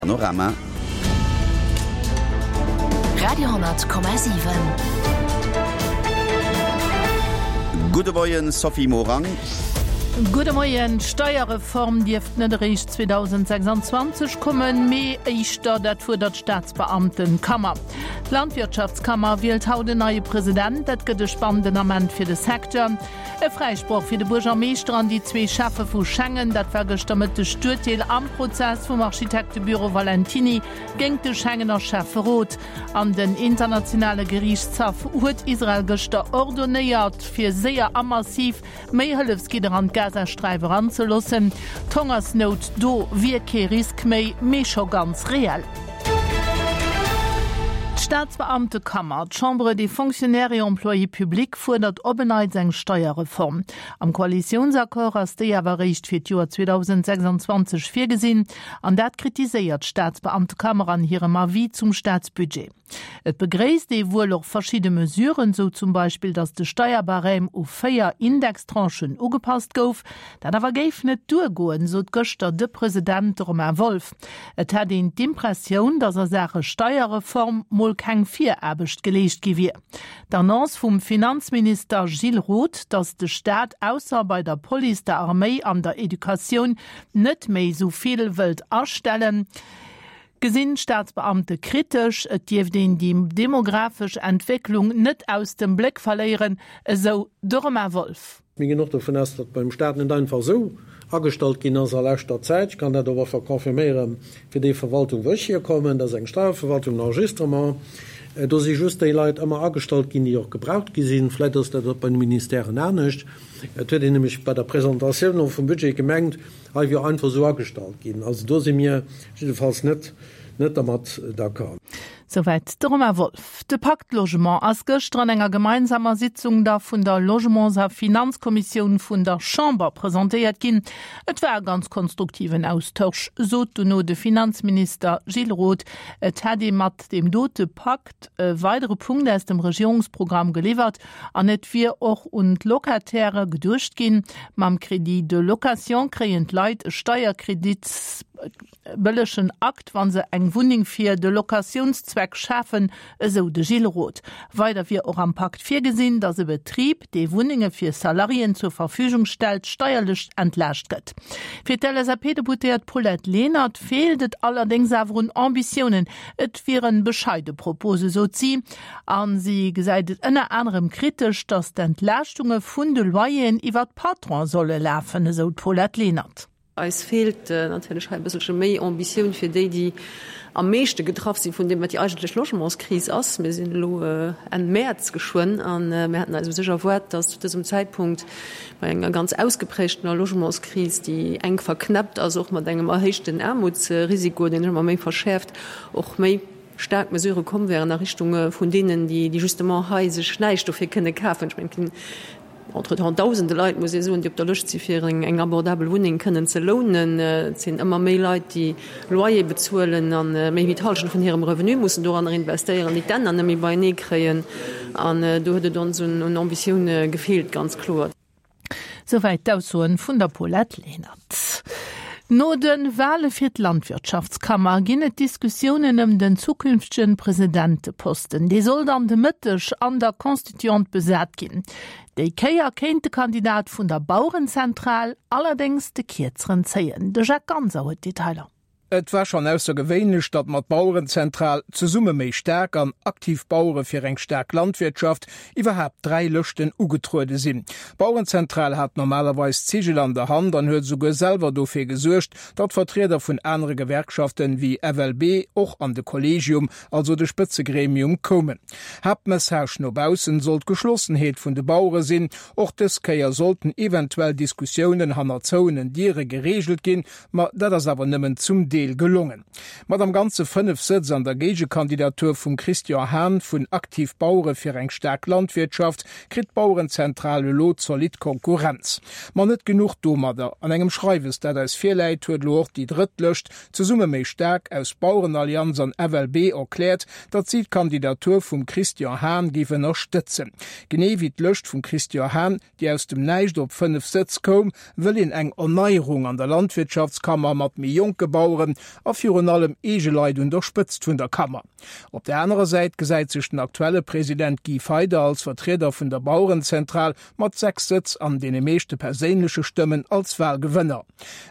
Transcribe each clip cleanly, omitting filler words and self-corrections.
Panorama. Radio,7. Gudde Moien Sophie Morang. Gudde Moien. D'Steierreform dierft net eréischt 2026 kommen, mee éischter, dat fuerdert d'Staatsbeamtenkammer. D'Landwirtschaftskammer wielt haut en neie President. Dat gëtt e spannenden Ament fir de Secteur. E Fräisproch fir de Buergermeeschter an déi zwee Schäffe vu Schengen, dat war gëschter Mëtteg d'Urteel am Prozess vum Architektebüro Valentiny géingt de Schengener Schäfferot. An den internationale Geriichtshaff huet Israel gëschter ordonéiert, fir séier a massiv méi Hëllefsgidder an d'Gazasträif eranzeloossen. D'Hongersnout do wier kee Risk méi, mee scho ganz reell. D'Staatsbeamtekammer, d'Chambre des Fonctionnaires et Employés publics, fuerdert op en Neits eng Steierreform. Am Koalitiounsaccord ass déi awer eréischt fir d'Joer 2026 virgesinn, an dat kritiséiert d'Staatsbeamtekammer an hirem Avis zum Staatsbudget. Et begréisst ee wuel och verschidde Mesuren, sou zum Beispill, datt de Steierbarème u 4 Indextranchen ugepasst gouf. Dat awer géif net duergoen, sot gëschter de President Romain Wolff. Et hätt een d'Impressioun, datt a Saache Steierreform mol keng Viraarbecht geleescht gi wier. D'Annonce vum Finanzminister Gilles Roth, datt de Staat ausser bei der Police, der Arméi an der Educatioun net méi esou vill wëllt astellen, gesinn d'Staatsbeamte kritesch. Et dierft een déi demografesch Entwécklung net aus dem Bléck verléieren, esou de Romain Wolff. Mir ginn och dovun aus, datt beim Staat net einfach esou agestallt ginn ass a leschter Zäit. Ech kann dat och einfach confirméiere fir déi Verwaltung, wou ech hierkommen, dat ass eng Steierverwaltung, en Enregistrement. Do si just déi Leit ëmmer agestallt ginn, déi och gebraucht gi sinn. Vläicht ass dat och bei de Ministèren anescht. Et huet een nämlech bei der Presentatioun och vum Budget gemengt, hei wier einfach esou agestallt ginn. Also do si mir jiddefalls net dermat d'accord. Souwäit de Romain Wolff. De Pacte Logement ass gëschter an enger gemeinsamer Sitzung da vun der Logements a Finanzkommissioun vun der Chamber presentéiert ginn. Et war e ganz konstruktiven Austausch, sot dono de Finanzminister Gilles Roth. Et hätt ee mat deem dote Pakt e weidere Punkt aus dem Regierungsprogramm geliwwert an et wier och un d'Locatairë geduecht ginn. Mam Crédit de location kréien d'Leit e Steierkredit. Bëllegen Akt, wa se eng Wunneng fir de Locatiounszweck schafen, esou de Gilles Roth. Weider wier och am Pakt virgesinn, datt e Betrib, dee Wunnenge fir Salariéen zur Verfügung stellt, steierlech entlaascht gëtt. Fir d'LSAP-Deputéiert Paulette Lenert feelt et allerdéngs awer un Ambitiounen. Et wiere bescheide Propose, sot si. A si gesäit et ënner anerem kritesch, datt d'Entlaaschtunge vun de Loyeren iwwer d'Patronen solle lafen, esou d'Paulette Lenert. Eis feelt natierlech hei e bësselche méi Ambitioun fir déi, déi am meeschte getraff si vun deem, wat déi eigentlech Logementskris ass. Mir sinn elo Enn Mäerz geschwënn a mir hätten eis u sech erwaart, dass zu dësem Zäitpunkt bei enger ganz ausgeprägtener Logementskris, déi enk verknäppt ass och mat engem erhéichten Aarmutsrisiko, deen sech ëmmer méi verschäerft, och méi staark Mesurë komm wären a Richtung vun deenen, déi justement hei sech näischt dofir kënne kafen. Ech mengen, Entretemps dausende Leit, muss ee soen, déi op der Lëscht si fir eng abordabel Wunneng kënnen ze lounen. Et sinn ëmmer méi Leit, déi Loyer bezuelen a méi wéi d'Hallschent vun hirem Revenu mussen doranner investéieren, déi d'Enner net méi beienee kréien. An do huet et ons un Ambitioun gefeelt, ganz kloer. Souwäit d'Aussoen vun der Paulette Lenert. No de Wale fir d'Landwirtschaftskammer ginn et Diskussiounen ëm den zukünftege Presidenteposten. Dee soll dann de Mëtteg an der Constituante besat ginn. Déi Kéier kéint de Kandidat vun der Bauerenzentral allerdéngs de Kierzeren zéien. De Jacques Ganser huet d'Detailer. Et war schonn aussergewéinlech, datt mat Bauerenzentral, Zesumme méi staark an Aktiv Bauere fir eng staark Landwirtschaft iwwerhaapt 3 Lëschten ugetruede sinn. D'Bauerenzentral hat normalerweis d'Zigel an der Hand an huet esouguer selwer dofir gesuergt, datt Vertrieder vun anere Gewerkschaften, wéi FLB, och an de Kollegium, also de Spëtzegremium, koumen. Haaptmessage no baussen sollt d'Geschlossenheet vun de Bauere sinn. Och dës Kéier sollten eventuell Diskussiounen hanner zouenen Diere gereegelt ginn, Ma dat ass awer nëmmen zum Deel gelongen. Mat am Ganze 5 Sëtz an der Géigekandidatur vum Christian Hahn vun Aktiv Bauere fir eng staark Landwirtschaft kritt d'Bauerenzentral elo zolidd Konkurrenz. Ma net genuch domadder, An engem Schreiwes, dat eis virläit, huet elo och déi drëtt Lëscht Zesumme méi staark aus Bauerenallianz an FLB erkläert, datt si d'Kandidatur vum Christian Hahn géif ënnerstëtzen. Genee wéi d'Lëscht vum Christian Hahn déi aus dem Näischt op 5 Sëtz koum, wëll een eng Erneierung an der Landwirtschaftskammer mat méi jonke Baueren. halen a virun allem eege Leit un der Spëtzt vun der Kammer. Op der anerer Säit gesäit sech den aktuelle President Guy Feyder als Vertrieder vun der Bauerenzentral mat 6 Sëtz an deene meeschte perséinleche Stëmmen als Walgewënner.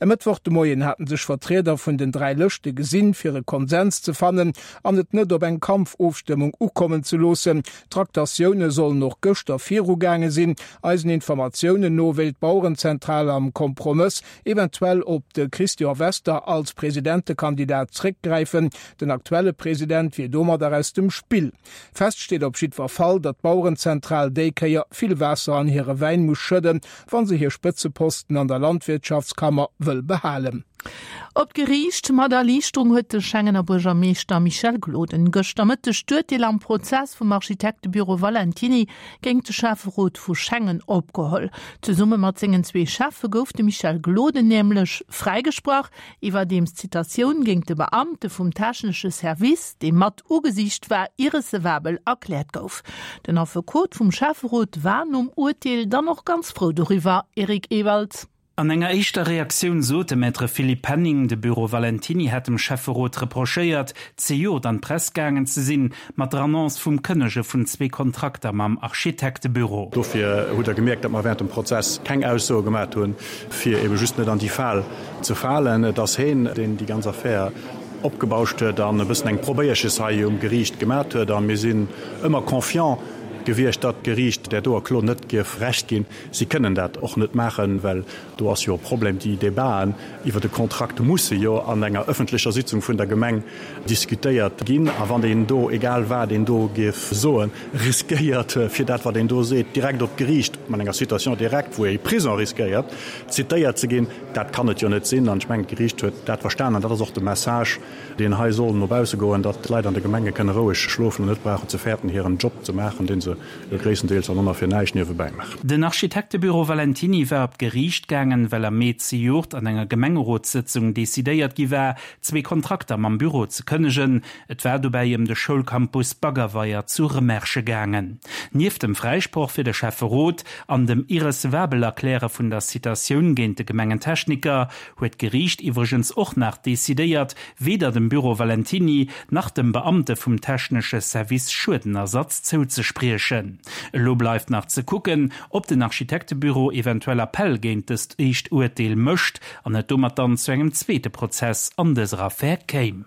E Mëttwoch de Moien haten sech Vertrieder vun den 3 Lëschte gesinn, fir e Konsens ze fannen an et net op eng Kampfofstëmmung ukommen ze loossen. D'Traktatioune sollen och gëschter virugaange sinn. Eisen Informatiounen no wéilt d'Bauerenzentral am Kompromëss eventuell op de Christian Wester als Presidentekandidat zréckgräifen. Den aktuelle President wier domadder aus dem Spill. Fest steet op jiddwer Fall, datt d'Bauerenzentral déi Kéier vill Waasser an hire Wäin muss schëdden, wa se hir Spëtzeposten an der Landwirtschaftskammer wëll behalen. Op d'Geriicht mat Erliichterung huet de Schengener Buergermeeschter Michel Gloden gëschter Mëtteg d'Urteel am Prozess vum Architektebüro Valentiny géingt de Schäfferot vu Schengen opgeholl. Zesumme mat sengen zwee Schäffe gouf de Michel Gloden nämlech fräigesprach, iwwerdeems d'Citatioun géingt de Beamte vum technesche Service, dee mat ugesicht war, irrecevabel erkläert gouf. Den Affekot vum Schäfferot war nom Urteel dann och ganz frou doriwwer. Eric Ewald. An enger éischter Reaktioun sot de Maître Philippe Penning, de Büro Valentiny hätt dem Schäfferot reprochéiert, zejoert an d'Press gaangen ze sinn, mat der Annonce vum Kënnege vun zwee Kontrakter mam Architektebüro. Dofir hutt Der gemierkt, datt mer während dem Prozess keng Aussoe gemat hunn, fir ebe just net an déi Fal ze falen. Et ass heen, deen déi ganz Affär opgebauscht huet an e bëssen eng Probéierches hei um Geriicht gemat huet. A mir sinn ëmmer confiant gewiescht, datt d'Geriicht där doer Klo net dierf Recht ginn. Si kënnen dat och net maachen, well do ass jo e Problem, déi Debaten iwwer de Kontrakt musse jo an enger ëffentlecher Sitzung vun der Gemeng diskutéiert ginn. A wann een do, egal wat een do géif soen, riskéiert, fir dat wat een do seet, direkt op d'Geriicht, mat enger Citation directe, wou ee Prison riskéiert, zitéiert ze ginn, dat kann et jo net sinn. An ech mengen, d'Geriicht huet dat verstanen an dat ass och de Message, deen hei soll no bausse goen, datt d'Leit an de Gemenge kënne roueg schlofen an net brauchen ze fäerten, hiren Job ze maachen, dee se jo gréisstendeels an ëmmer fir näischt niewebäi maachen. Den Architektebüro Valentiny war op d'Geriicht gaangen, well am Mee zejoert an enger Gemengerotssëtzung decidéiert gi war, zwee Kontrakter mam Büro ze kënnegen. Et war dobäi ëm de Schoulcampus Baggerweier zu Remerschen gaangen. Nieft dem Fräisproch fir de Schäfferot an dem Irrecevabel-Erkläre vun der Citatioun géint de Gemengentechniker huet d'Geriicht iwwregens och nach decidéiert, weder dem Büro Valentiny nach dem Beamte vum technesche Service Schuedenersatz zouzespriechen. Elo bleift nach ze kucken, ob den Architektebüro eventuell Appell géint dëst éischt Urteel mécht an et domat dann zu engem zweete Prozess an dëser Affär kéim.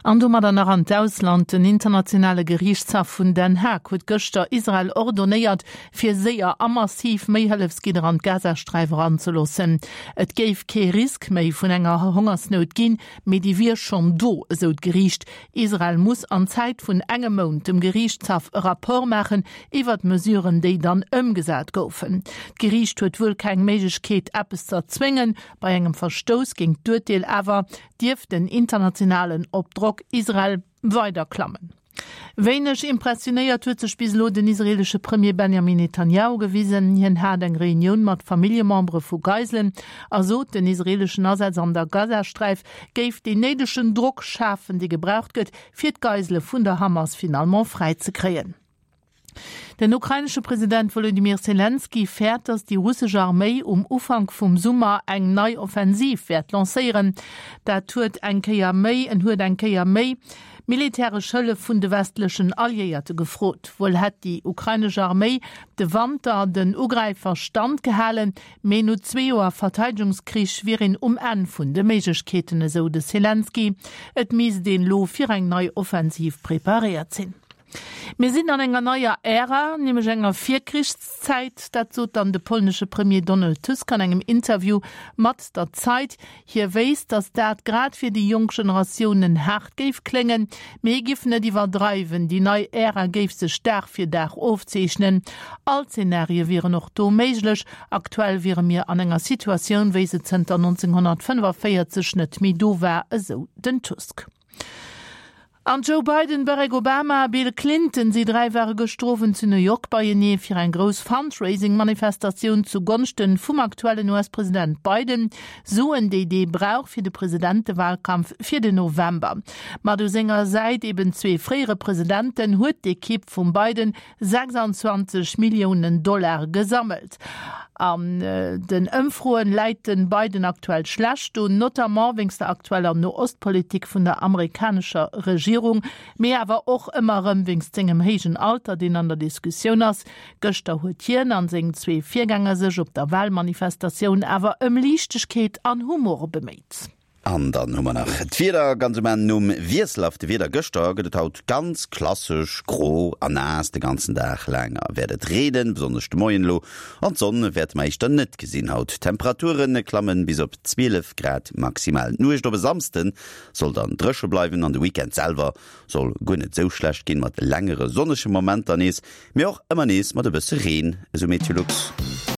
An domadder nach an d'Ausland, Den internationale Geriichtshaff vun Den Haag huet gëschter Israel ordonéiert, fir séier a massiv méi Hëllefsgidder an d'Gazasträif eranzeloossen. Et géif kee Risk méi vun enger Hongersnout ginn, mee déi wier schonn do, esou d'Geriicht. Israel muss an Zäit vun engem Mount dem Geriichtshaff e Rapport maachen iwwer d'Mesuren, déi dann ëmgesat goufen. D'Geriicht huet wuel keng Méiglechkeet, eppes z'erzwéngen. Bei engem Verstouss géint d'Urteel awer dierft den internationalen op Drock Israel weider klammen. Wéineg impressionéiert huet sech bis elo den israeelesche Premier Benjamin Netanjahu gewisen. Hien hat eng Reunioun mat Familljemembere vu Geiselen a sot, den israeeleschen Asaz an der Gazasträif géif deen néidegen Drock schafen, dee gebraucht gëtt, fir d'Geisele vun der Hamas finalement fräizekréien. Den ukrainesche President Wolodymyr Selenskyj fäert, datt déi russesch Arméi um Ufank vum Summer eng nei Offensiv wäert lancéieren. Dat huet eng Kéier méi en huet eng Kéier méi militäresch Hëllef vun de westlechen Alliéierte gefrot. Wuel hätt déi ukrainesch Arméi de Wanter den Ugräifer Stand gehalen, mee no zwee Joer Verteidegungskrich wier een um Enn vun de Méiglechkeeten, esou de Selenskyj. Et misst een elo fir eng nei Offensiv preparéiert sinn. Mir sinn an enger neier Ära, nämlech enger Virkrichszäit. Dat sot dann de polnesche Premier Donald Tusk an engem Interview mat der Zeit. Hie wéisst, datt dat grad fir déi jonk Generatiounen haart géif kléngen, mee hie giff net iwwerdreiwen. Déi nei Ära géif sech Dag fir Dag ofzeechnen. All Zenarie wieren och do méiglech. Aktuell wiere mir an enger Situatioun, wéi se zënter 1945 net méi do war, esou den Tusk. An Joe Biden, Barack Obama a Bill Clinton, si 3 ware gëschter Owend zu New York beienee fir eng grouss Fundraising-Manifestatioun zu Gonschten vum aktuellen US-President Biden. Suen, déi dee brauch fir de Presidentewahlkampf fir den November. Mat u senger Säit eben zwee fréiere Presidenten huet d'Ekipp vum Biden 26 Milliounen Dollar gesammelt. An den Ëmfroen läit den Biden aktuell schlecht do, notamment wéinst der aktueller No-Ost-Politik vun der amerikanescher Regierung, mee awer och ëmmer erëm wéinst sengem héijen Alter, deen an der Diskussioun ass. Gëschter huet hien an seng zwee Virgänger sech op der Walmanifestatioun awer ëm Liichtegkeet an Humor beméit. An dann hu mer nach d'Wieder, Ganz um Enn nom wiesselhafte Wieder gëschter gëtt et haut ganz klassesch gro a naass. De ganzen Dag laang wäert et reenen, besonnesch de Moien elo, an d'Sonn wäerte mer éischter net gesinn haut. D'Temperature klammen bis op 12 Grad maximal. D'Nuecht op e Samsde soll dann dréche bleiwen an de Weekend selwer soll guer net esou schlecht ginn, mat längere sonnege Momenter nees, mee och ëmmer nees mat e bësse Reen, esou Meteolux.